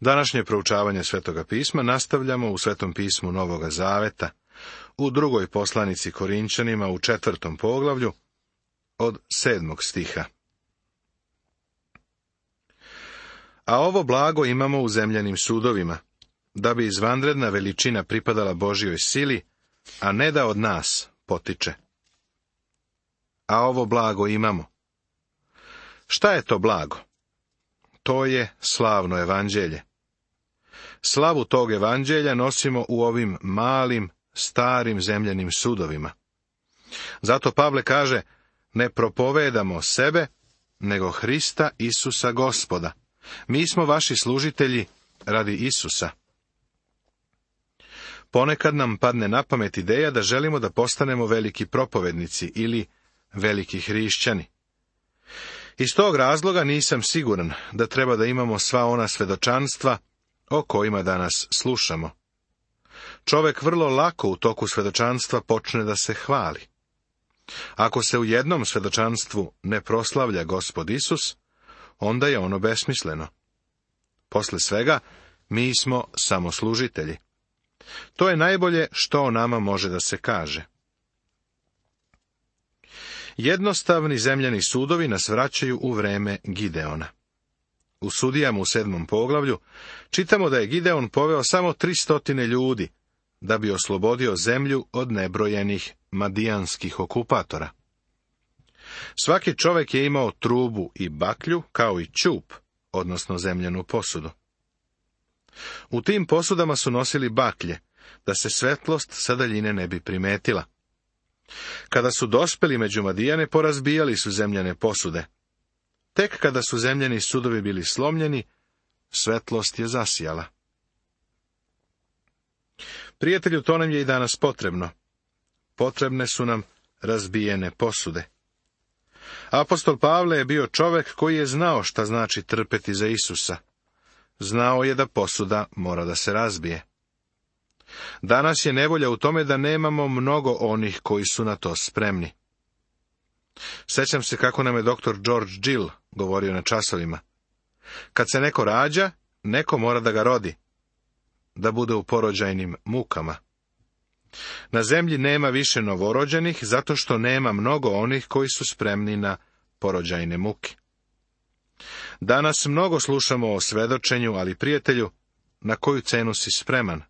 Današnje proučavanje Svetoga pisma nastavljamo u Svetom pismu Novoga Zaveta, u drugoj poslanici Korinčanima u 4. poglavlju, od 7. stiha. A ovo blago imamo u zemljanim sudovima, da bi izvanredna veličina pripadala Božjoj sili, a ne da od nas potiče. A ovo blago imamo. Šta je to blago? To je slavno evanđelje. Slavu tog evanđelja nosimo u ovim malim, starim zemljanim sudovima. Zato Pavle kaže, ne propovedamo sebe, nego Hrista Isusa Gospoda. Mi smo vaši služitelji radi Isusa. Ponekad nam padne na pamet ideja da želimo da postanemo veliki propovednici ili veliki hrišćani. Iz tog razloga nisam siguran da treba da imamo sva ona svedočanstva o kojima danas slušamo. Čovek vrlo lako u toku svedočanstva počne da se hvali. Ako se u jednom svedočanstvu ne proslavlja Gospod Isus, onda je ono besmisleno. Posle svega, mi smo samo služitelji. To je najbolje što o nama može da se kaže. Jednostavni zemljani sudovi nas vraćaju u vreme Gideona. U Sudijama u 7. poglavlju čitamo da je Gideon poveo samo 300 ljudi, da bi oslobodio zemlju od nebrojenih madijanskih okupatora. Svaki čovek je imao trubu i baklju, kao i ćup, odnosno zemljanu posudu. U tim posudama su nosili baklje, da se svetlost sa daljine ne bi primetila. Kada su dospeli među Madijane, porazbijali su zemljane posude. Tek kada su zemljani sudovi bili slomljeni, svetlost je zasijala. Prijatelju, to nam je i danas potrebno. Potrebne su nam razbijene posude. Apostol Pavle je bio čovek koji je znao šta znači trpeti za Isusa. Znao je da posuda mora da se razbije. Danas je nevolja u tome da nemamo mnogo onih koji su na to spremni. Sećam se kako nam je dr. George Gill govorio na časovima. Kad se neko rađa, neko mora da ga rodi, da bude u porođajnim mukama. Na zemlji nema više novorođenih, zato što nema mnogo onih koji su spremni na porođajne muke. Danas mnogo slušamo o svedočenju, ali prijatelju, na koju cenu si spreman?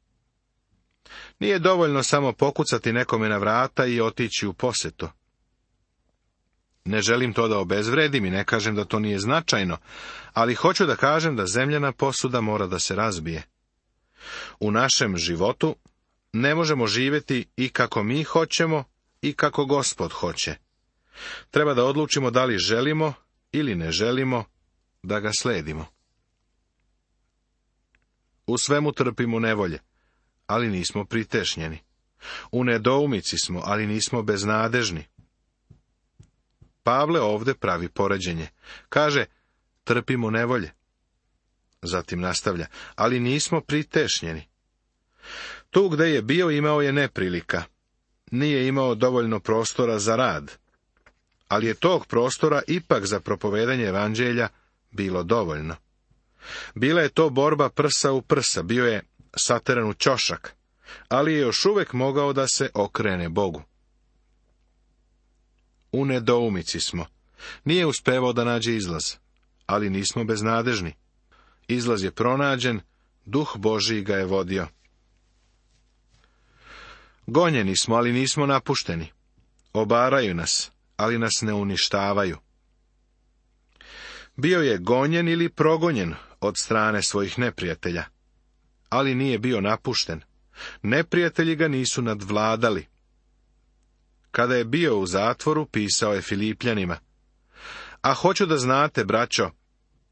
Nije dovoljno samo pokucati nekome na vrata i otići u posetu. Ne želim to da obezvredim i ne kažem da to nije značajno, ali hoću da kažem da zemljana posuda mora da se razbije. U našem životu ne možemo živjeti i kako mi hoćemo i kako Gospod hoće. Treba da odlučimo da li želimo ili ne želimo da ga sledimo. U svemu trpimo nevolje, ali nismo pritešnjeni. U nedoumici smo, ali nismo beznadežni. Pavle ovde pravi poređenje. Kaže, trpimo nevolje. Zatim nastavlja, ali nismo pritešnjeni. Tu gde je bio imao je neprilika. Nije imao dovoljno prostora za rad. Ali je tog prostora ipak za propovedanje evanđelja bilo dovoljno. Bila je to borba prsa u prsa, bio je sateran u ćošak, ali je još uvek mogao da se okrene Bogu. U nedoumici smo. Nije uspevao da nađe izlaz, ali nismo beznadežni. Izlaz je pronađen, Duh Božiji ga je vodio. Gonjeni smo, ali nismo napušteni. Obaraju nas, ali nas ne uništavaju. Bio je gonjen ili progonjen od strane svojih neprijatelja, ali nije bio napušten. Neprijatelji ga nisu nadvladali. Kada je bio u zatvoru, pisao je Filipljanima: a hoću da znate, braćo,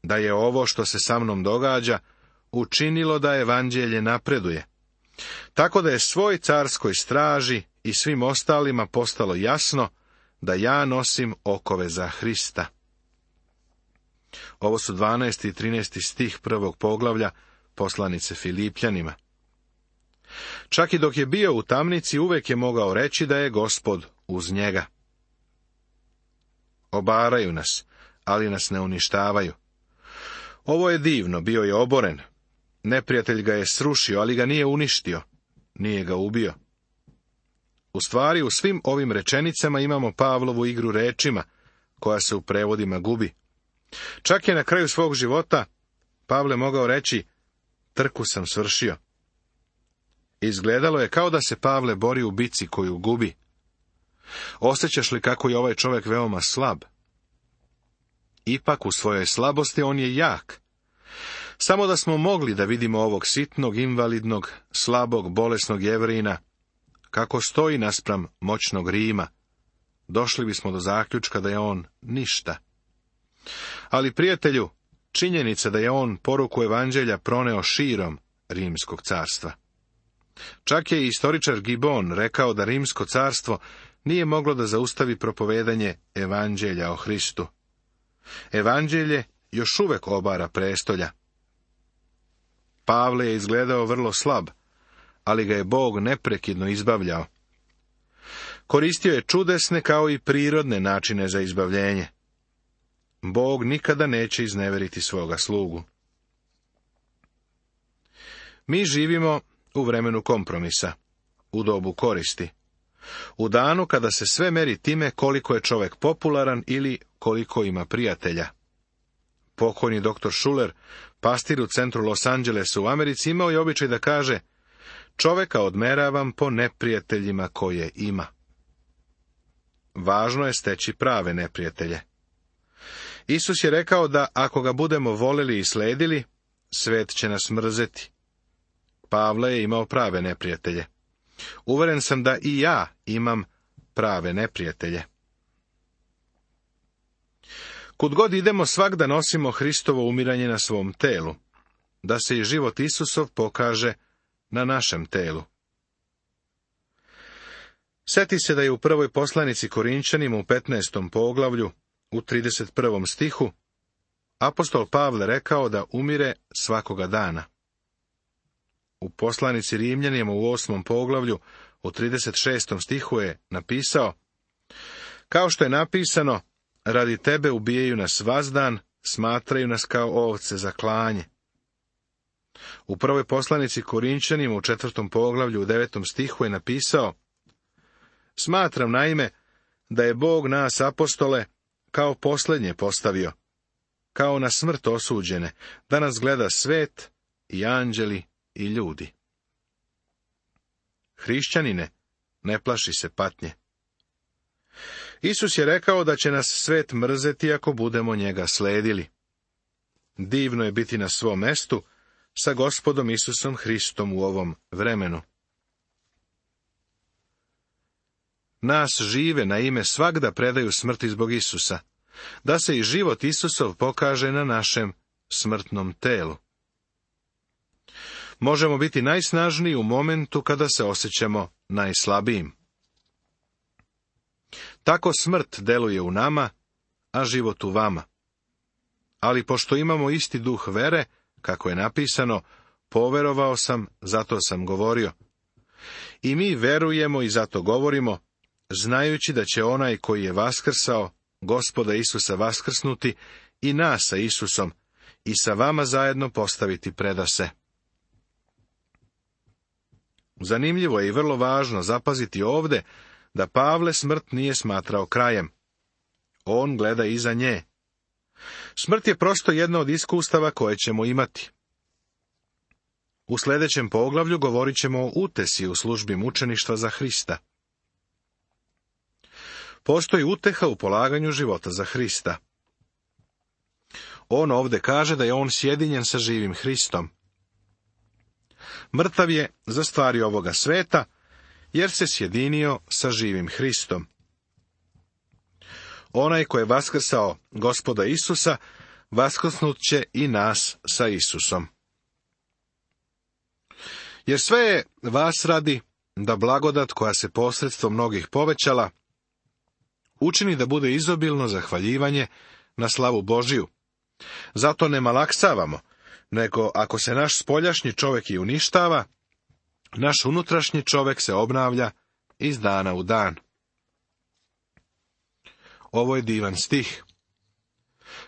da je ovo što se sa mnom događa učinilo da evanđelje napreduje, tako da je svoj carskoj straži i svim ostalima postalo jasno da ja nosim okove za Hrista. Ovo su 12. i 13. stih 1. poglavlja poslanice Filipljanima. Čak i dok je bio u tamnici, uvek je mogao reći da je Gospod uz njega. Obaraju nas, ali nas ne uništavaju. Ovo je divno, bio je oboren, Neprijatelj ga je srušio, ali ga nije uništio, nije ga ubio. U stvari, u svim ovim rečenicama imamo Pavlovu igru rečima, koja se u prevodima gubi. Čak je na kraju svog života Pavle mogao reći, trku sam svršio. Izgledalo je kao da se Pavle bori u bici koju gubi. Osjećaš li kako je ovaj čovjek veoma slab? Ipak u svojoj slabosti on je jak. Samo da smo mogli da vidimo ovog sitnog, invalidnog, slabog, bolesnog Jevrejina, kako stoji naspram moćnog Rima, došli bismo do zaključka da je on ništa. Ali, prijatelju, činjenica da je on poruku evanđelja proneo širom Rimskog carstva. Čak je i istoričar Gibon rekao da Rimsko carstvo nije moglo da zaustavi propovedanje evanđelja o Hristu. Evanđelje još uvek obara prestolja. Pavle je izgledao vrlo slab, ali ga je Bog neprekidno izbavljao. Koristio je čudesne kao i prirodne načine za izbavljenje. Bog nikada neće izneveriti svoga slugu. Mi živimo u vremenu kompromisa, u dobu koristi, u danu kada se sve meri time koliko je čovjek popularan ili koliko ima prijatelja. Pokojni dr. Schuller, pastir u centru Los Angelesa u Americi, imao je običaj da kaže, čovjeka odmeravam po neprijateljima koje ima. Važno je steći prave neprijatelje. Isus je rekao da ako ga budemo voleli i sledili, svet će nas mrzeti. Pavle je imao prave neprijatelje. Uveren sam da i ja imam prave neprijatelje. Kud god idemo, svagda nosimo Hristovo umiranje na svom telu, da se i život Isusov pokaže na našem telu. Sjeti se da je u prvoj poslanici Korinčanima u 15. poglavlju, u 31. stihu, apostol Pavle rekao da umire svakoga dana. U poslanici Rimljanima u 8. poglavlju, u 36. stihu je napisao, kao što je napisano, radi tebe ubijaju nas vazdan, smatraju nas kao ovce za klanje. U prvoj poslanici Korinčanima u 4. poglavlju u 9. stihu je napisao, smatram naime da je Bog nas apostole kao posljednje postavio, kao na smrt osuđene, da nas gleda svet i anđeli i ljudi. Hrišćanine, ne plaši se patnje. Isus je rekao da će nas svet mrzeti ako budemo njega sledili. Divno je biti na svom mestu sa Gospodom Isusom Hristom u ovom vremenu. Nas žive na ime svagda predaju smrti zbog Isusa, da se i život Isusov pokaže na našem smrtnom telu. Možemo biti najsnažniji u momentu kada se osjećamo najslabijim. Tako smrt deluje u nama, a život u vama. Ali pošto imamo isti duh vere, kako je napisano, poverovao sam, zato sam govorio. I mi verujemo i zato govorimo, znajući da će onaj koji je vaskrsao, Gospoda Isusa vaskrsnuti, i nas sa Isusom, i sa vama zajedno postaviti predase. Zanimljivo je i vrlo važno zapaziti ovde da Pavle smrt nije smatrao krajem. On gleda iza nje. Smrt je prosto jedno od iskustava koje ćemo imati. U sljedećem poglavlju govorit ćemo o utesi u službi mučeništva za Hrista. Postoji uteha u polaganju života za Hrista. On ovde kaže da je on sjedinjen sa živim Hristom. Mrtav je za stvari ovoga sveta, jer se sjedinio sa živim Hristom. Onaj ko je vaskrsao Gospoda Isusa, vaskrsnut će i nas sa Isusom. Jer sve je vas radi da blagodat koja se posredstvom mnogih povećala, učini da bude izobilno zahvaljivanje na slavu Božiju. Zato ne malaksavamo, nego ako se naš spoljašnji čovjek i uništava, naš unutrašnji čovjek se obnavlja iz dana u dan. Ovo je divan stih.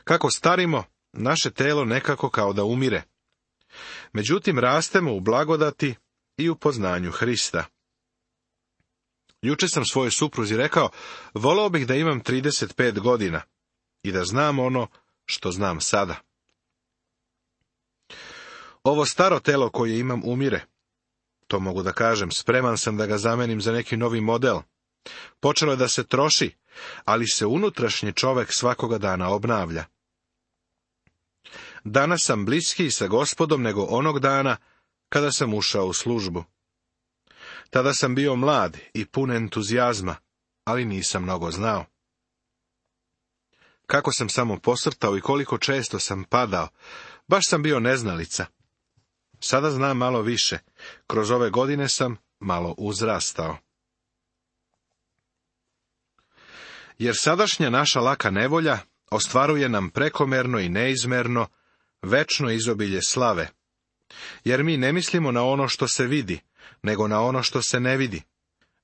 Kako starimo, naše telo nekako kao da umire. Međutim, rastemo u blagodati i u poznanju Hrista. Juče sam svojoj supruzi rekao, voleo bih da imam 35 godina i da znam ono što znam sada. Ovo staro telo koje imam umire. To mogu da kažem, spreman sam da ga zamenim za neki novi model. Počelo je da se troši, ali se unutrašnji čovek svakoga dana obnavlja. Danas sam bliskiji sa Gospodom nego onog dana kada sam ušao u službu. Tada sam bio mlad i pun entuzijazma, ali nisam mnogo znao. Kako sam samo posrtao i koliko često sam padao, baš sam bio neznalica. Sada znam malo više, kroz ove godine sam malo uzrastao. Jer sadašnja naša laka nevolja ostvaruje nam prekomerno i neizmerno večno izobilje slave. Jer mi ne mislimo na ono što se vidi, nego na ono što se ne vidi.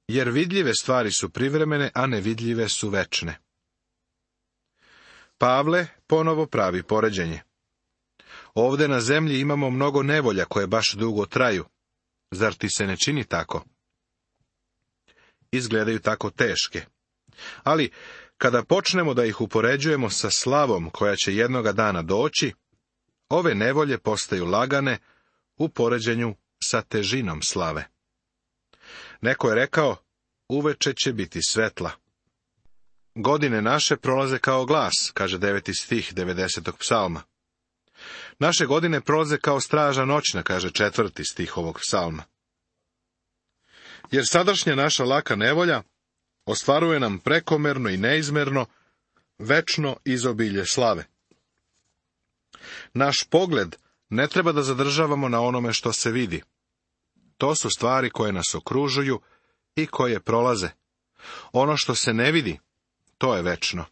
Jer vidljive stvari su privremene, a nevidljive su večne. Pavle ponovo pravi poređenje. Ovde na zemlji imamo mnogo nevolja koje baš dugo traju. Zar ti se ne čini tako? Izgledaju tako teške. Ali, kada počnemo da ih upoređujemo sa slavom koja će jednoga dana doći, ove nevolje postaju lagane u poređenju sa težinom slave. Neko je rekao, uveče će biti svetla. Godine naše prolaze kao glas, kaže 9. stih 90. psalma. Naše godine prolaze kao straža noćna, kaže 4. stih ovog psalma. Jer sadašnja naša laka nevolja ostvaruje nam prekomerno i neizmerno večno izobilje slave. Naš pogled ne treba da zadržavamo na onome što se vidi. To su stvari koje nas okružuju i koje prolaze. Ono što se ne vidi, to je večno.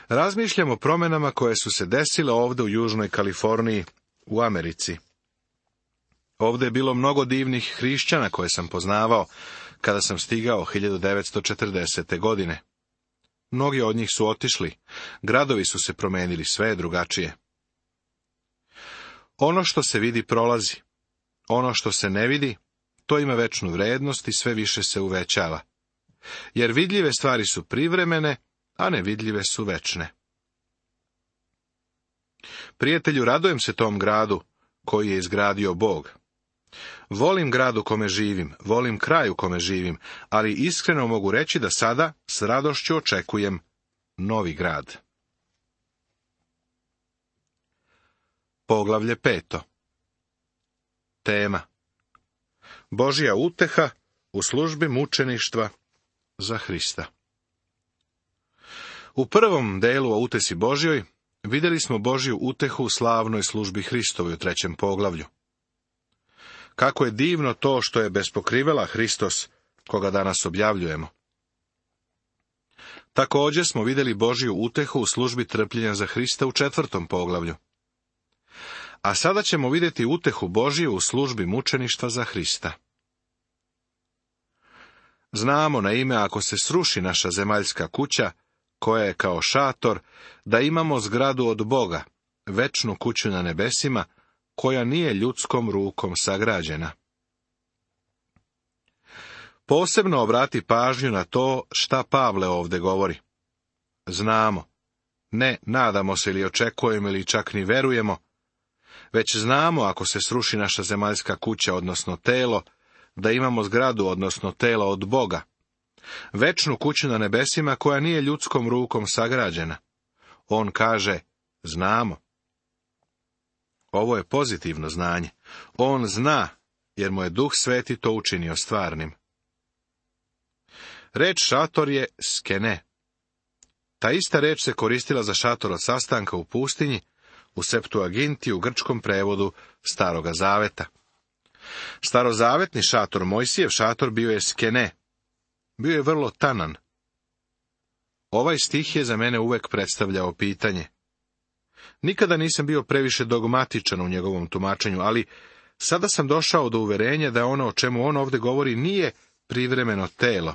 Razmišljamo o promjenama koje su se desile ovdje u Južnoj Kaliforniji, u Americi. Ovdje je bilo mnogo divnih hrišćana koje sam poznavao kada sam stigao 1940. godine. Mnogi od njih su otišli, gradovi su se promenili, sve je drugačije. Ono što se vidi prolazi. Ono što se ne vidi, to ima večnu vrednost i sve više se uvećava. Jer vidljive stvari su privremene, a nevidljive su večne. Prijatelju, radujem se tom gradu koji je izgradio Bog. Volim grad u kome živim, volim kraj u kome živim, ali iskreno mogu reći da sada s radošću očekujem novi grad. Poglavlje 5. Tema: Božja uteha u službi mučeništva za Hrista. U prvom delu o utesi Božjoj vidjeli smo Božju utehu u slavnoj službi Hristovoj u 3. poglavlju. Kako je divno to što je bez pokrivela Hristos, koga danas objavljujemo. Također smo vidjeli Božju utehu u službi trpljenja za Hrista u 4. poglavlju. A sada ćemo vidjeti utehu Božju u službi mučeništva za Hrista. Znamo na ime, ako se sruši naša zemaljska kuća, koja je kao šator, da imamo zgradu od Boga, večnu kuću na nebesima, koja nije ljudskom rukom sagrađena. Posebno obrati pažnju na to šta Pavle ovdje govori. Znamo, ne nadamo se ili očekujemo ili čak ni verujemo, već znamo, ako se sruši naša zemaljska kuća, odnosno telo, da imamo zgradu, odnosno telo od Boga, večnu kuću na nebesima koja nije ljudskom rukom sagrađena. On kaže, znamo. Ovo je pozitivno znanje. On zna, jer mu je Duh Sveti to učinio stvarnim. Reč šator je skene. Ta ista reč se koristila za šator od sastanka u pustinji, u Septuaginti, u grčkom prevodu Staroga zaveta. Starozavetni šator, Mojsijev šator, bio je skene. Bio je vrlo tanan. Ovaj stih je za mene uvek predstavljao pitanje. Nikada nisam bio previše dogmatičan u njegovom tumačenju, ali sada sam došao do uverenja da ono o čemu on ovdje govori nije privremeno telo.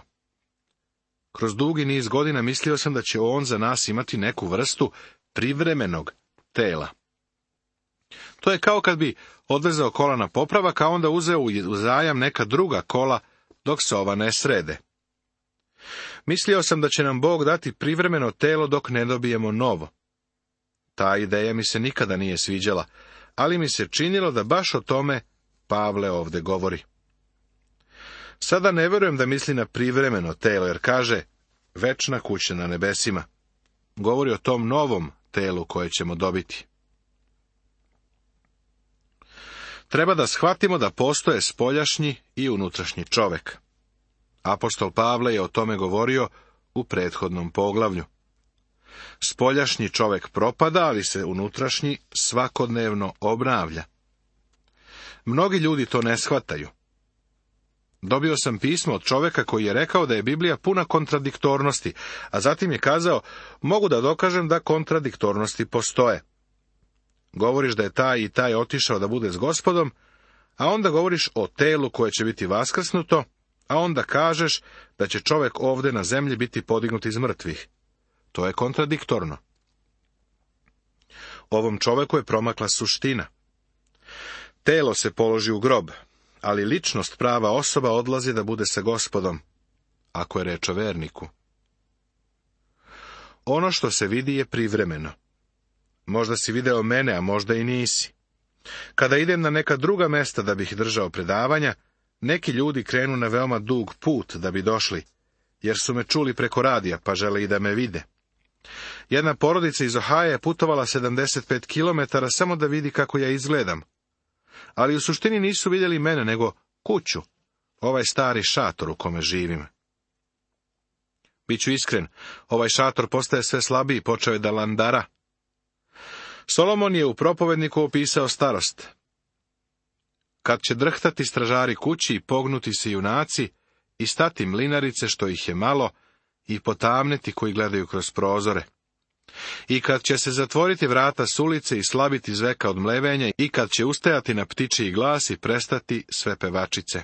Kroz dugi niz godina mislio sam da će on za nas imati neku vrstu privremenog tela. To je kao kad bi odvezao kola na popravak, a onda uzeo u zajam neka druga kola dok se ova ne srede. Mislio sam da će nam Bog dati privremeno telo dok ne dobijemo novo. Ta ideja mi se nikada nije sviđala, ali mi se činilo da baš o tome Pavle ovdje govori. Sada ne vjerujem da misli na privremeno telo, jer kaže večna kuća na nebesima. Govori o tom novom telu koje ćemo dobiti. Treba da shvatimo da postoje spoljašnji i unutrašnji čovjek. Apostol Pavle je o tome govorio u prethodnom poglavlju. Spoljašnji čovjek propada, ali se unutrašnji svakodnevno obnavlja. Mnogi ljudi to ne shvataju. Dobio sam pismo od čovjeka koji je rekao da je Biblija puna kontradiktornosti, a zatim je kazao, mogu da dokažem da kontradiktornosti postoje. Govoriš da je taj i taj otišao da bude s Gospodom, a onda govoriš o telu koje će biti vaskrsnuto, a onda kažeš da će čovjek ovdje na zemlji biti podignut iz mrtvih. To je kontradiktorno. Ovom čovjeku je promakla suština. Telo se položi u grob, ali ličnost, prava osoba, odlazi da bude sa Gospodom, ako je reč o verniku. Ono što se vidi je privremeno. Možda si video mene, a možda i nisi. Kada idem na neka druga mesta da bih držao predavanja, neki ljudi krenu na veoma dug put da bi došli, jer su me čuli preko radija, pa žele i da me vide. Jedna porodica iz Ohaja je putovala 75 km samo da vidi kako ja izgledam. Ali u suštini nisu vidjeli mene, nego kuću, ovaj stari šator u kome živim. Biću iskren, ovaj šator postaje sve slabiji, počeo je da landara. Solomon je u propovedniku opisao starost. Kad će drhtati stražari kući i pognuti se junaci, i stati mlinarice što ih je malo, i potamneti koji gledaju kroz prozore. I kad će se zatvoriti vrata s ulice i slabiti zveka od mlevenja, i kad će ustajati na ptičiji glas i prestati sve pevačice.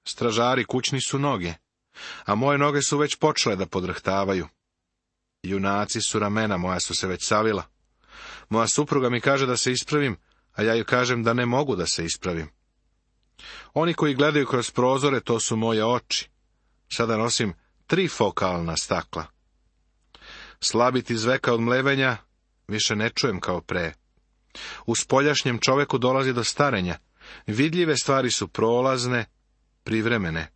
Stražari kućni su noge, a moje noge su već počele da podrhtavaju. Junaci su ramena, moja su se već savila. Moja supruga mi kaže da se ispravim, a ja ju kažem da ne mogu da se ispravim. Oni koji gledaju kroz prozore, to su moje oči. Sada nosim 3 fokalna stakla. Slabiti zveka od mlevenja više ne čujem kao pre. U spoljašnjem čoveku dolazi do starenja. Vidljive stvari su prolazne, privremene.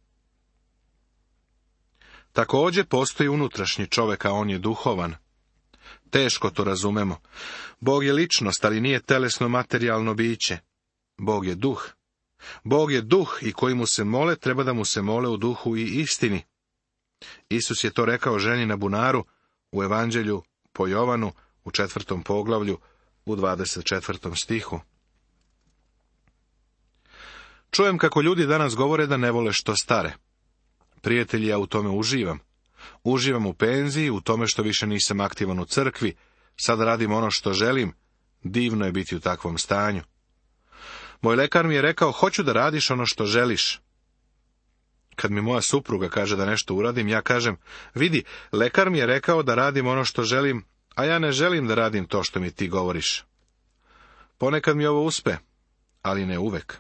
Također postoji unutrašnji čovjek, a on je duhovan. Teško to razumemo. Bog je ličnost, ali nije telesno materijalno biće. Bog je duh. Bog je duh i koji mu se mole, treba da mu se mole u duhu i istini. Isus je to rekao ženi na bunaru u Evanđelju po Jovanu u 4. poglavlju u 24. stihu. Čujem kako ljudi danas govore da ne vole što stare. Prijatelji, ja u tome uživam. Uživam u penziji, u tome što više nisam aktivan u crkvi, sad radim ono što želim, divno je biti u takvom stanju. Moj lekar mi je rekao, hoću da radiš ono što želiš. Kad mi moja supruga kaže da nešto uradim, ja kažem, vidi, lekar mi je rekao da radim ono što želim, a ja ne želim da radim to što mi ti govoriš. Ponekad mi ovo uspe, ali ne uvek.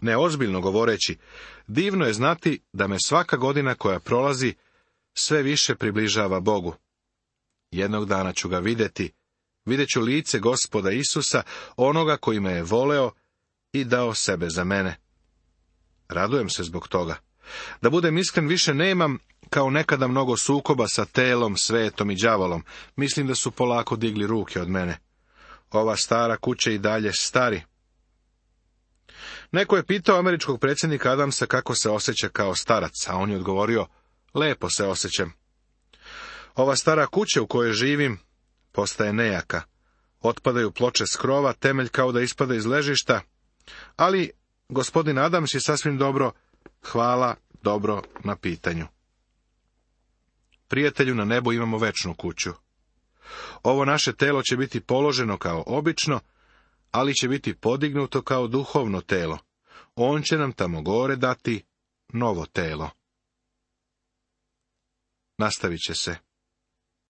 Neozbiljno govoreći, divno je znati da me svaka godina koja prolazi sve više približava Bogu. Jednog dana ću ga vidjeti, vidjet ću lice Gospoda Isusa, onoga koji me je voleo i dao sebe za mene. Radujem se zbog toga. Da budem iskren, više nemam kao nekada mnogo sukoba sa telom, svetom i đavolom. Mislim da su polako digli ruke od mene. Ova stara kuća i dalje stari. Neko je pitao američkog predsjednika Adamsa kako se osjeća kao starac, a on je odgovorio, lepo se osjećam. Ova stara kuća u kojoj živim postaje nejaka. Otpadaju ploče s krova, temelj kao da ispada iz ležišta, ali gospodin Adams je sasvim dobro, hvala dobro na pitanju. Prijatelju, na nebu imamo večnu kuću. Ovo naše telo će biti položeno kao obično, ali će biti podignuto kao duhovno telo. On će nam tamo gore dati novo telo. Nastavit će se.